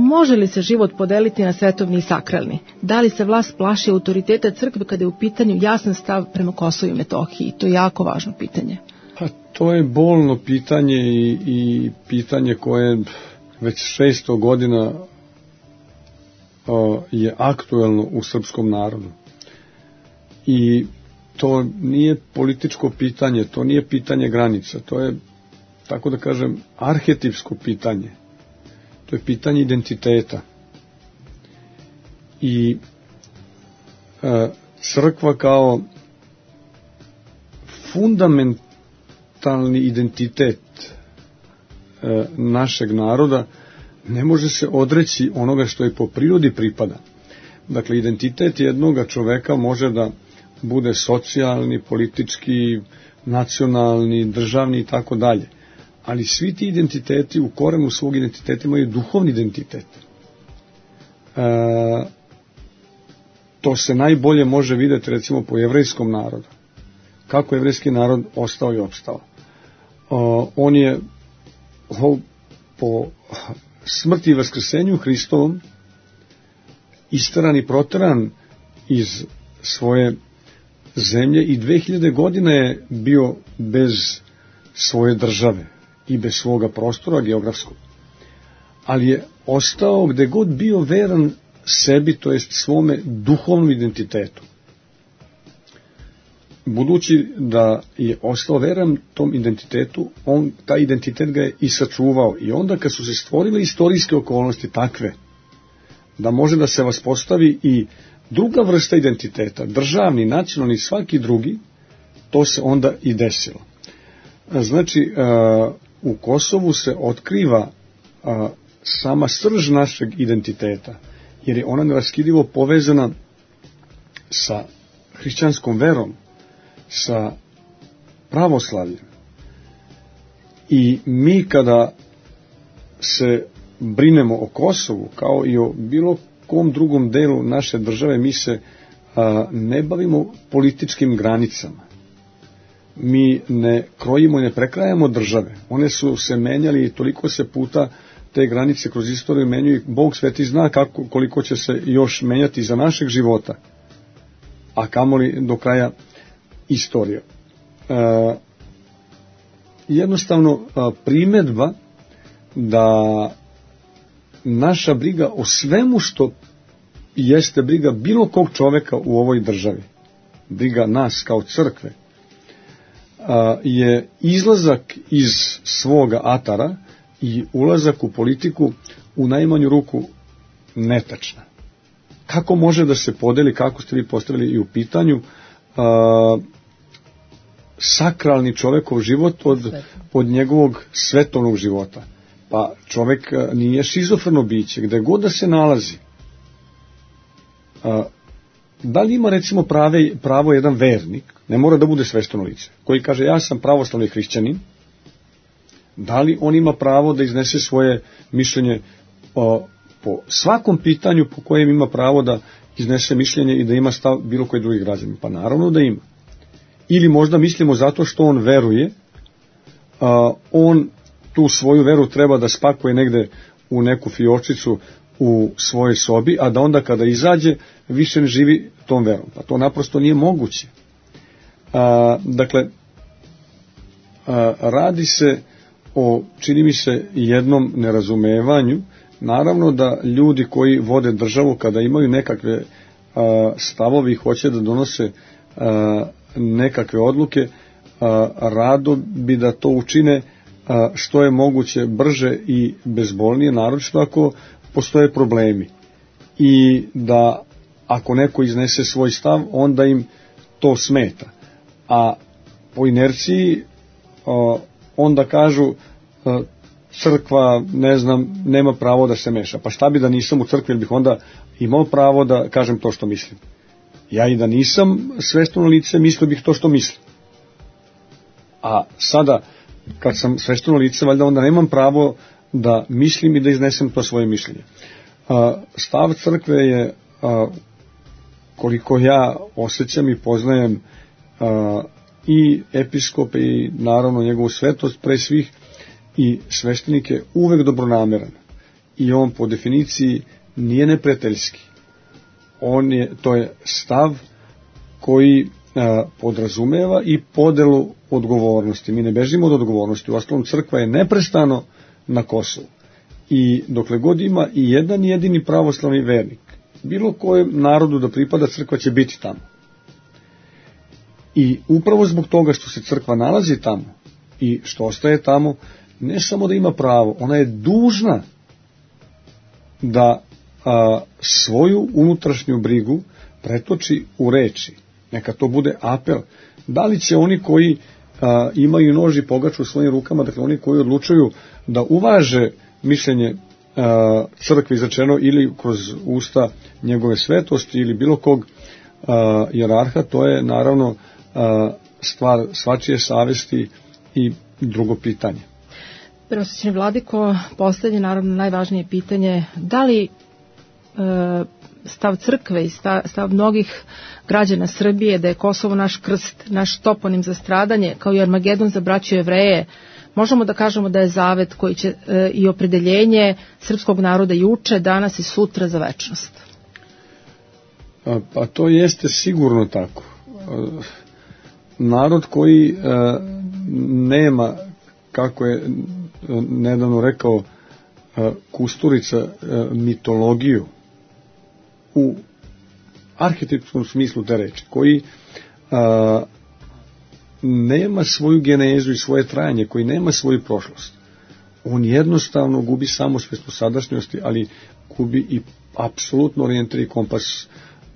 Može li se život podeliti na svetovni i sakralni? Da li se vlast plaši autoriteta crkve kada je u pitanju jasan stav prema Kosovu i Metohiji? To je jako važno pitanje. Pa to je bolno pitanje i pitanje koje već 600 godina je aktuelno u srpskom narodu. I to nije političko pitanje, to nije pitanje granica, to je, tako da kažem, arhetipsko pitanje. To je pitanje identiteta. I crkva kao fundamentalni identitet našeg naroda ne može se odreći onoga što je po prirodi pripada. Dakle, identitet jednoga čoveka može da bude socijalni, politički, nacionalni, državni i tako dalje. Ali svi ti identiteti u korenu svog identiteta imaju duhovni identitet. To se najbolje može vidjeti recimo po jevrejskom narodu. Kako jevrejski narod ostao i opstao. On je po smrti i vaskrsenju Hristovom isteran i proteran iz svoje zemlje i 2000 godina je bio bez svoje države i bez svoga prostora geografskog. Ali je ostao gde god bio veran sebi, to jest svome duhovnom identitetu. Budući da je ostao veran tom identitetu, taj identitet ga je i sačuvao. I onda kad su se stvorile istorijske okolnosti takve, da može da se vaspostavi i druga vrsta identiteta, državni, nacionalni, svaki drugi, to se onda i desilo. Znači, u Kosovu se otkriva sama srž našeg identiteta, jer je ona neraskidivo povezana sa hrišćanskom verom, sa pravoslavljem. I mi kada se brinemo o Kosovu, kao i o bilo kom drugom delu naše države, mi se ne bavimo političkim granicama. Mi ne krojimo i ne prekrajamo države. One su se menjali i toliko se puta te granice kroz istoriju menjuju. Bog sveti zna koliko će se još menjati za našeg života, a kamoli do kraja istorije. Jednostavno primedba da naša briga o svemu što jeste briga bilo kog čoveka u ovoj državi, briga nas kao crkve, je izlazak iz svoga atara i ulazak u politiku u najmanju ruku netačna. Kako može da se podeli, kako ste vi postavili i u pitanju, sakralni čovekov život od njegovog svetovnog života? Pa čovek nije šizofreno biće, gde god da se nalazi. Da li ima recimo pravo jedan vernik, ne mora da bude svešteno lice, koji kaže ja sam pravoslavni hrišćanin, da li on ima pravo da iznese svoje mišljenje po svakom pitanju po kojem ima pravo da iznese mišljenje i da ima stav bilo koji drugi građanin? Pa naravno da ima. Ili možda mislimo zato što on veruje, on tu svoju veru treba da spakuje negde u neku fiočicu u svojoj sobi, a da onda kada izađe više ne živi tom verom. Pa to naprosto nije moguće. Dakle, radi se o, čini mi se, jednom nerazumevanju. Naravno da ljudi koji vode državu, kada imaju nekakve stavovi i hoće da donose nekakve odluke, rado bi da to učine što je moguće brže i bezbolnije, naročito ako postoje problemi. I da ako neko iznese svoj stav, onda im to smeta. A po inerciji onda kažu crkva, ne znam, nema pravo da se meša. Pa šta bi da nisam u crkvi, ili bih onda imao pravo da kažem to što mislim? Ja i da nisam svešteno lice, mislio bih to što mislim. A sada, kad sam svešteno lice, valjda onda nemam pravo da mislim i da iznesem to svoje mišljenje. Stav crkve je, koliko ja osjećam i poznajem i episkope i naravno njegovu svetost pre svih i sveštenike, uvek dobronameran. I on po definiciji nije neprijateljski. To je stav koji podrazumeva i podelu odgovornosti. Mi ne bežimo od odgovornosti. Uostalom, crkva je neprestano na Kosovu. I dokle god ima i jedan jedini pravoslavni vernik, bilo kojem narodu da pripada, crkva će biti tamo. I upravo zbog toga što se crkva nalazi tamo i što ostaje tamo, ne samo da ima pravo, ona je dužna da svoju unutrašnju brigu pretoči u reči. Neka to bude apel. Da li će oni koji imaju nož i pogač u svojim rukama, dakle oni koji odlučuju da uvaže mišljenje crkve izrečeno ili kroz usta njegove svetosti ili bilo kog jerarha, to je naravno stvar svačije savesti i drugo pitanje. Preosvećeni vladiko, poslednje, naravno najvažnije pitanje, da li stav crkve i stav mnogih građana Srbije da je Kosovo naš krst, naš toponim za stradanje, kao i Armagedon za braću Jevreje, možemo da kažemo da je zavet koji će i opredeljenje srpskog naroda juče, danas i sutra za večnost? Pa to jeste sigurno tako. Narod koji nema, kako je nedavno rekao Kusturica, mitologiju u arhetipskom smislu te reči, koji nema svoju genezu i svoje trajanje, koji nema svoju prošlost, on jednostavno gubi samosvest u sadašnjosti, ali gubi i apsolutno orijentir i kompas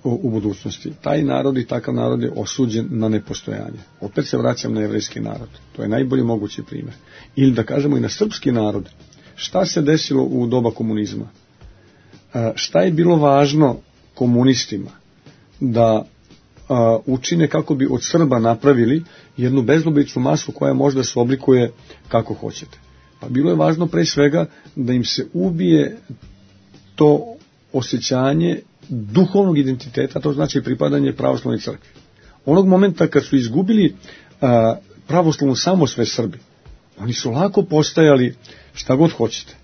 u budućnosti. Taj narod i takav narod je osuđen na nepostojanje. Opet se vraćam na jevrejski narod. To je najbolji mogući primjer. Ili da kažemo i na srpski narod. Šta se desilo u doba komunizma? Šta je bilo važno komunistima? Da učine kako bi od Srba napravili jednu bezlobičnu masu koja možda se oblikuje kako hoćete. Pa bilo je važno pre svega da im se ubije to osjećanje duhovnog identiteta, to znači pripadanje pravoslavnoj crkvi. Onog momenta kad su izgubili pravoslavnu samosvest Srbi, oni su lako postajali šta god hoćete.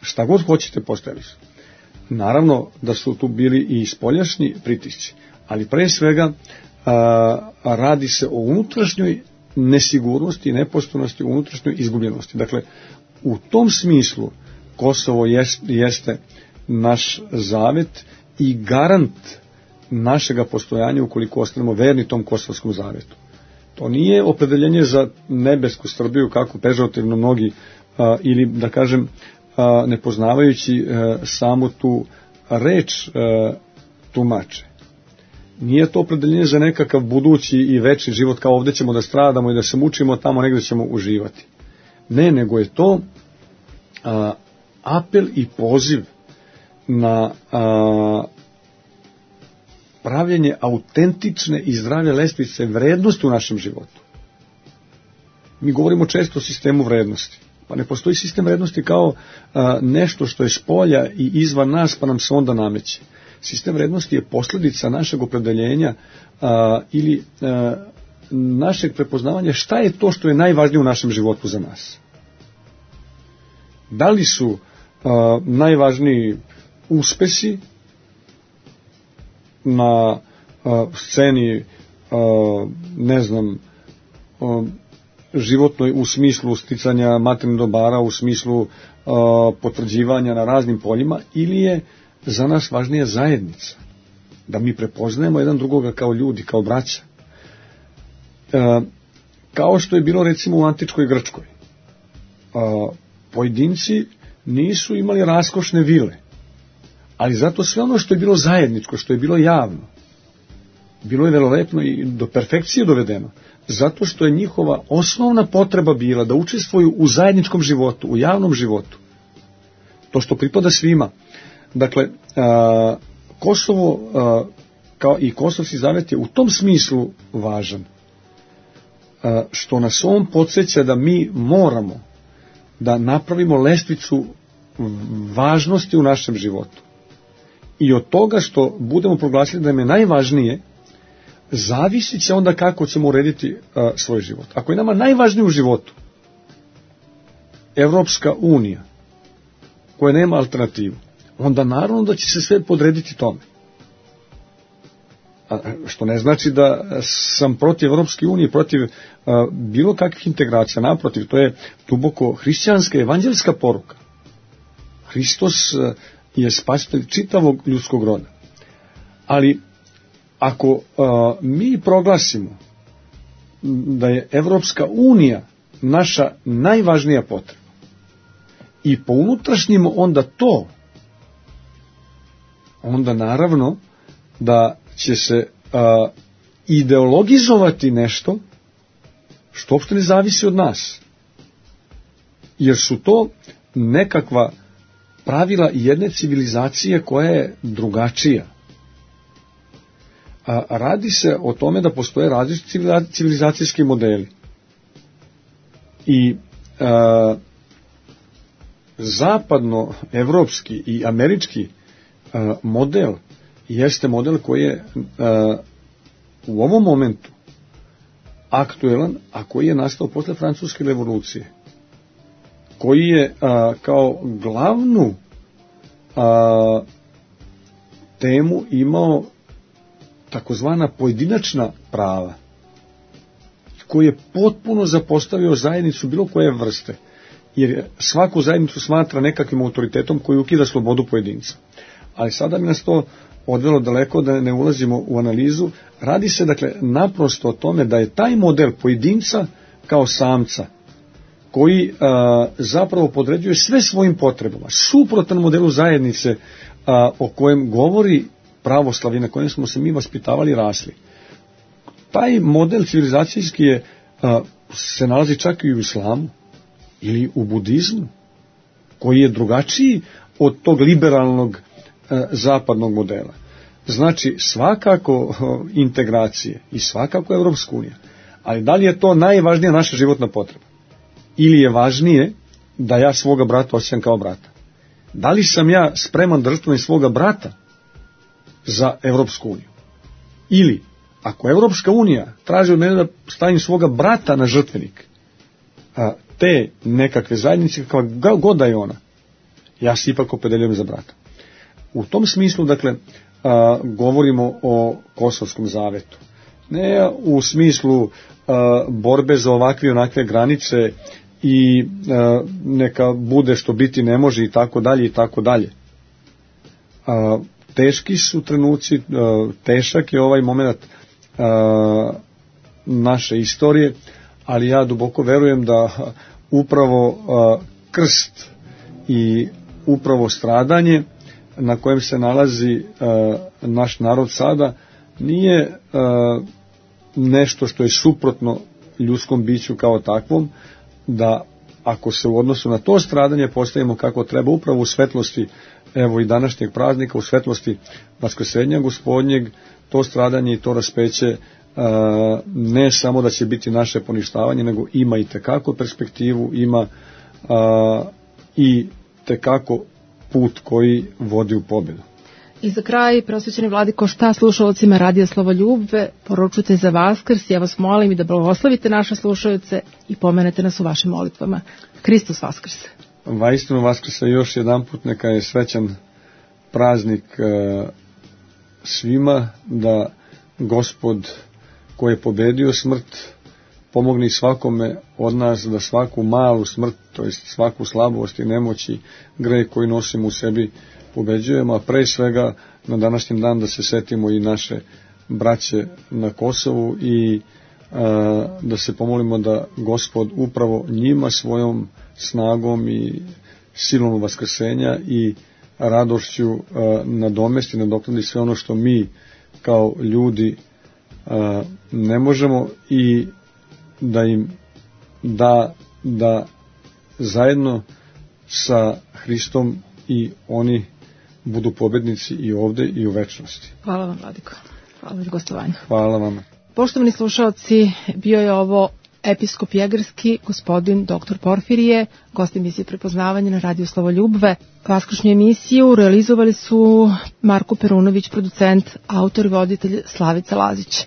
Šta god hoćete postajali su. Naravno da su tu bili i spoljašnji pritisci, ali pre svega radi se o unutrašnjoj nesigurnosti i nepostojnosti, unutrašnjoj izgubljenosti. Dakle, u tom smislu Kosovo jeste naš zavet i garant našega postojanja ukoliko ostanemo verni tom kosovskom zavetu. To nije opredeljenje za nebesku Srbiju, kako pežorativno mnogi, ili da kažem, nepoznavajući samo tu reč tumače. Nije to opredeljenje za nekakav budući i večni život, kao ovdje ćemo da stradamo i da se mučimo, tamo negdje ćemo uživati. Ne, nego je to apel i poziv na pravljenje autentične i zdrave lestvice vrednosti u našem životu. Mi govorimo često o sistemu vrednosti. Pa ne postoji sistem vrednosti kao nešto što je spolja i izvan nas, pa nam se onda nameće. Sistem vrednosti je posljedica našeg opredeljenja ili našeg prepoznavanja šta je to što je najvažnije u našem životu za nas. Da li su najvažniji uspesi na sceni, ne znam, životnoj u smislu sticanja materijalnih dobara, u smislu potvrđivanja na raznim poljima, ili je za nas važnija zajednica, da mi prepoznajemo jedan drugoga kao ljudi, kao braća. Kao što je bilo recimo u antičkoj Grčkoj. Pojedinci nisu imali raskošne vile, ali zato sve ono što je bilo zajedničko, što je bilo javno, bilo je velelepno i do perfekcije dovedeno, zato što je njihova osnovna potreba bila da učestvuju u zajedničkom životu, u javnom životu. To što pripada svima. Dakle, Kosovo kao i Kosovski zavet je u tom smislu važan, što nas on podsjeća da mi moramo da napravimo lestvicu važnosti u našem životu. I od toga što budemo proglasili da nam je najvažnije, zavisit će onda kako ćemo urediti svoj život. Ako je nama najvažnije u životu Evropska unija, koja nema alternativu, onda naravno da će se sve podrediti tome. Što ne znači da sam protiv Evropske unije, protiv bilo kakvih integracija. Naprotiv, to je duboko hrišćanska, evanđelska poruka. Hristos je spasitelj čitavog ljudskog roda. Ali ako mi proglasimo da je Evropska unija naša najvažnija potreba i po unutrašnjim onda to, onda naravno da će se ideologizovati nešto što uopšte ne zavisi od nas. Jer su to nekakva pravila jedne civilizacije koja je drugačija. Radi se o tome da postoje različiti civilizacijski modeli. I zapadno-evropski i američki model jeste model koji je u ovom momentu aktuelan, a koji je nastao posle Francuske revolucije, koji je kao glavnu temu imao takozvana pojedinačna prava, koji je potpuno zapostavio zajednicu bilo koje vrste, jer svaku zajednicu smatra nekakvim autoritetom koji ukida slobodu pojedinca. Ali sada mi nas to odvelo daleko da ne ulazimo u analizu. Radi se dakle naprosto o tome da je taj model pojedinca kao samca, koji zapravo podređuje sve svojim potrebama, suprotan modelu zajednice o kojem govori pravoslavlje, na kojem smo se mi vaspitavali i rasli. Taj model civilizacijski se nalazi čak i u islamu ili u budizmu, koji je drugačiji od tog liberalnog zapadnog modela. Znači, svakako integracije i svakako Evropska unija, ali da li je to najvažnija naša životna potreba? Ili je važnije da ja svoga brata osjećam kao brata? Da li sam ja spreman da žrtvujem svoga brata za Evropsku uniju? Ili, ako Evropska unija traži od mene da stavim svoga brata na žrtvenik te nekakve zajednice, kakva god da je ona, ja se ipak opredeljujem za brata. U tom smislu, dakle, govorimo o Kosovskom zavetu. Ne u smislu borbe za ovakve i onakve granice i neka bude što biti ne može i tako dalje i tako dalje. Teški su trenuci, težak je ovaj moment naše istorije, ali ja duboko verujem da upravo krst i upravo stradanje na kojem se nalazi naš narod sada nije nešto što je suprotno ljudskom biću kao takvom, da ako se u odnosu na to stradanje postavimo kako treba, upravo u svetlosti evo i današnjeg praznika, u svetlosti Vaskrsenja Gospodnjeg, to stradanje i to raspeće ne samo da će biti naše poništavanje, nego ima i tekako perspektivu, ima i tekako put koji vodi u pobjedu. I za kraj, preosvećeni vladiko, šta slušalcima Radija Slavoljubve poručujete za Vaskrs? Ja vas molim i da blagoslovite naše slušalce i pomenete nas u vašim molitvama. Hristos Vaskrs! Vaistinu Vaskrsa još jedan put, neka je srećan praznik svima, da Gospod koji je pobedio smrt pomogne svakome od nas da svaku malu smrt, to jest svaku slabost i nemoći, greh koji nosimo u sebi, pobeđujemo, a pre svega na današnjem dan da se setimo i naše braće na Kosovu i da se pomolimo da Gospod upravo njima svojom snagom i silom vaskrsenja i radošću nadomesti, nadoknadi sve ono što mi kao ljudi ne možemo, i da im da zajedno sa Hristom i oni budu pobednici i ovde i u večnosti. Hvala vam, vladiko. Hvala za gostovanje. Hvala vam. Poštovani slušalci, bio je ovo episkop Jegarski, gospodin dr. Porfirije, gost emisije Prepoznavanje na Radiju Slavoljubve. Vaskršnju emisiju realizovali su Marko Perunović, producent, autor i voditelj Slavica Lazić.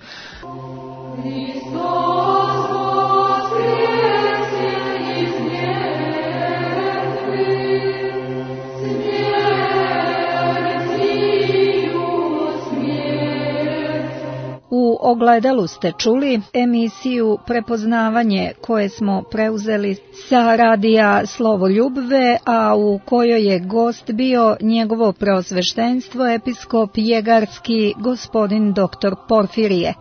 U Ogledalu ste čuli emisiju Prepoznavanje koje smo preuzeli sa Radija Slavoljubve, a u kojoj je gost bio njegovo preosveštenstvo episkop Jegarski gospodin dr. Porfirije.